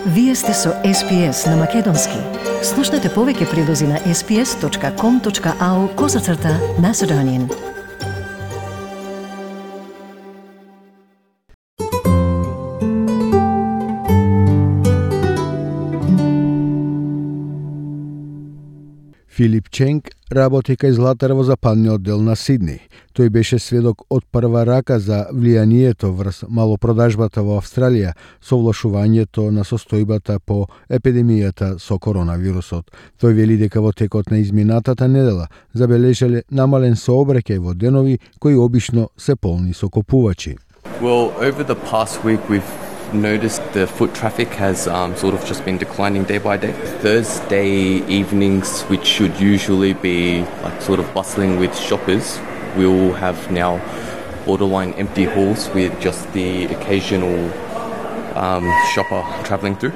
Вие сте со SPS на Македонски. Слушнете повеќе прилози на sps.com.au/Macedonian. Филип Ченг работи кај златар во западниот дел на Сидни. Тој беше сведок од прва рака за влијанието врз малопродажбата во Австралија со влошувањето на состојбата по епидемијата со коронавирусот. Тој вели дека во текот на изминатата недела забележале намален сообраќај во денови кои обично се полни со купувачи. Well, over the past week we've noticed the foot traffic has sort of just been declining day by day. Thursday evenings, which should usually be like sort of bustling with shoppers, we'll have now borderline empty halls with just the occasional shopper travelling through.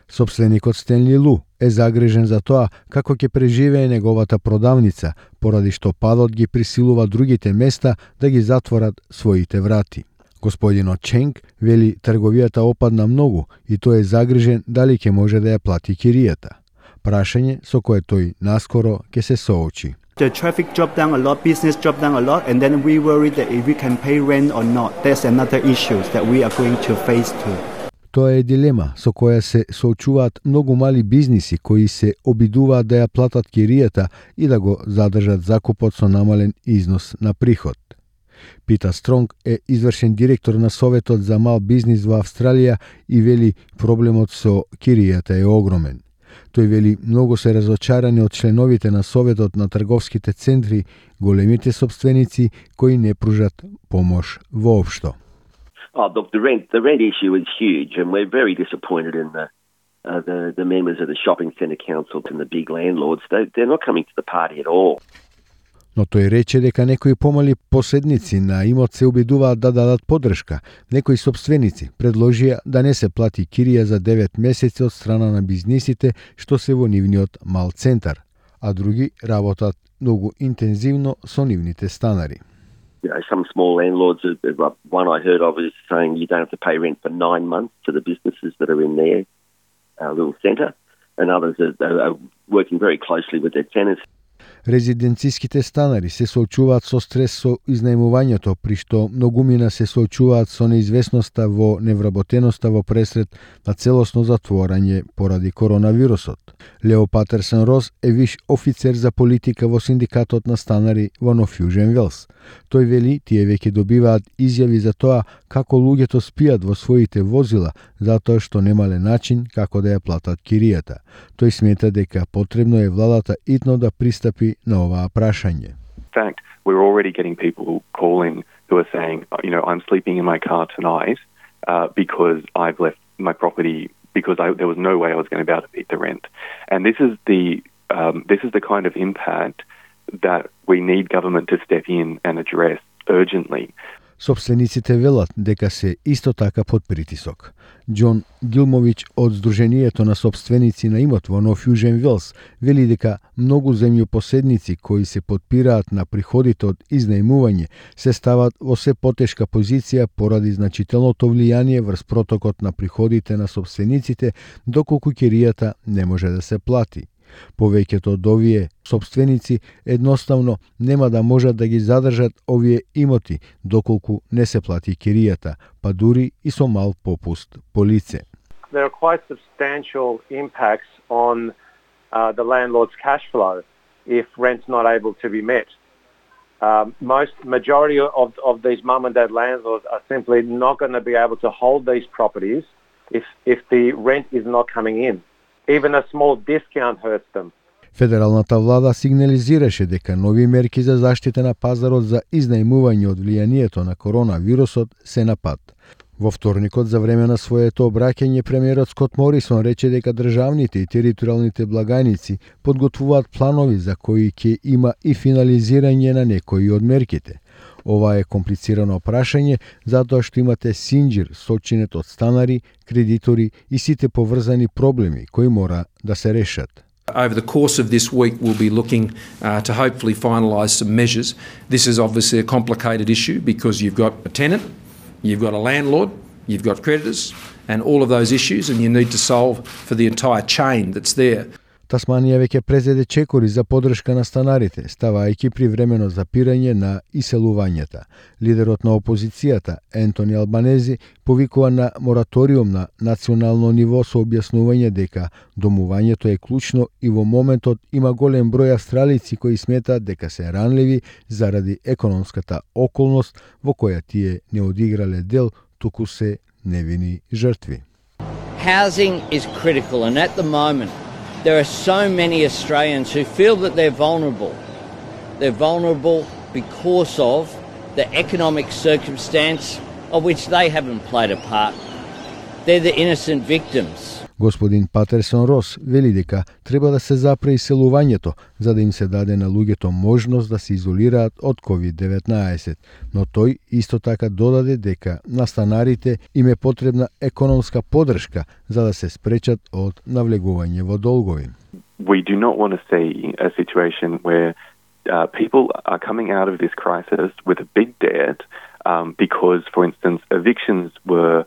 Сопственикот Стенли Лу е загрижен за тоа како ќе преживее неговата продавница, поради што падот ги присилува другите места да ги затворат своите врати. Господинот Ченг вели трговијата опадна многу и тој е загрижен дали ќе може да ја плати киријата. Прашање со кое тој наскоро ќе се соочи. The traffic dropped down a lot, business dropped down a lot, and then we worry that if we can pay rent or not. That's another issue that we are going to face too. Тоа е дилема со која се соочуваат многу мали бизниси кои се обидуваат да ја платат киријата и да го задржат закупот со намален износ на приход. Питер Стронг е извршен директор на Советот за мал бизнис во Австралија и вели проблемот со киријата е огромен. Тој вели многу се разочарани од членовите на Советот на трговските центри, големите собственици кои не пружат помош воопшто. Look, the rent issue is huge, and we're very disappointed in the members of the shopping centre council and the big landlords. They're not coming to the party at all. Но тој рече дека некои помали поседници на имот се обидуваат да дадат поддршка. Некои собственици предложија да не се плати кирија за 9 месеци од страна на бизнисите што се во нивниот мал центар, а други работат многу интензивно со нивните станари. Some small landlords, one I heard of is saying you don't have to pay rent for 9 months to the businesses that are in their little centre, and others are working very closely with their tenants. Резиденциските станари се соочуваат со стрес со изнајмувањето, при што многумина се соочуваат со неизвестноста во невработеноста во пресред на целосно затворање поради коронавирусот. Лео Патерсон Рос е виш офицер за политика во синдикатот на станари во Нов Јужен Велс. Тој вели тие веќе добиваат изјави за тоа како луѓето спијат во своите возила затоа што немале начин како да ја платат киријата. Тој смета дека потребно е владата итно да пристапи на оваа прашање. In fact, we're already getting people calling who are saying, I'm sleeping in my car tonight because I've left my property because there was no way I was going to be able to meet the rent. And this is the kind of impact that we need government to step in and address urgently. Собствениците велат дека се исто така под притисок. Џон Гилмович од Сдруженијето на собственици на имот во Нов Јужен Велс вели дека многу земјопоседници кои се подпираат на приходите од изнајмување се стават во се потешка позиција поради значителното влијание врз протокот на приходите на собствениците доколку киријата не може да се плати. Повеќето од овие собственици едноставно нема да можат да ги задржат овие имоти доколку не се плати киријата, па дури и со мал попуст по лице. There are quite substantial impacts on the landlord's cash flow if rent's not able to be met. Majority of these mum and dad landlords are simply not going to be able to hold these properties if the rent is not coming in. Even a small discount hurts them. Федералната влада сигнализираше дека нови мерки за заштита на пазарот за изнајмување од влијанието на коронавирусот се на пат. Во вторникот за време на своето обраќање премиерот Скот Морисон рече дека државните и територијалните благајници подготвуваат планови за кои ќе има и финализирање на некои од мерките. Ова е комплицирано прашање затоа што имате синџир сочинет од станари, кредитори и сите поврзани проблеми кои мора да се решат. Over the course of this week, we'll be looking to hopefully finalise some measures. This is obviously a complicated issue because you've got a tenant, you've got a landlord, You've got creditors and all of those issues, and you need to solve for the entire chain that's there. Тасманија веќе презеде чекори за поддршка на станарите, ставајќи привремено запирање на иселувањата. Лидерот на опозицијата, Ентони Албанези, повикува на мораториум на национално ниво со објаснување дека домувањето е клучно и во моментот има голем број австралици кои сметаат дека се ранливи заради економската околност во која тие не одиграле дел, туку се невини жртви. Housing is critical, and at the moment there are so many Australians who feel that they're vulnerable. They're vulnerable because of the economic circumstance of which they haven't played a part. They're the innocent victims. Господин Патерсон Рос вели дека треба да се запре иселувањето за да им се даде на луѓето можност да се изолираат од COVID-19, но тој исто така додаде дека на станарите им е потребна економска поддршка за да се спречат од навлегување во долгови. We do not want to see a situation where people are coming out of this crisis with a big debt because, for instance, evictions were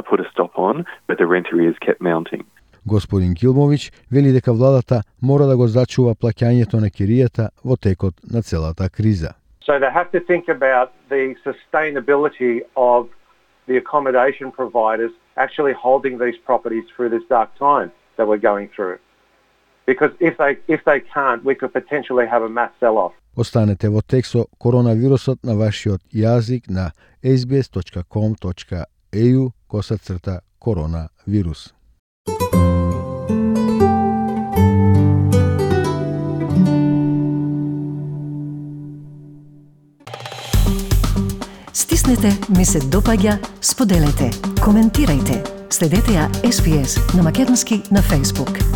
put a stop on, but the rent arrears kept mounting. Господин Гилмович вели дека владата мора да го зачува плаќањето на киријата во текот на целата криза. So they have to think about the sustainability of the accommodation providers actually holding these properties through this dark time that we're going through. Because if they can't, we could potentially have a mass sell-off. Останете во текст со коронавирусот на вашиот јазик на sbs.com.au/коронавирус. Стиснете ми се допаѓа, споделете, коментирајте. Следете ја SPS на Македонски на Facebook.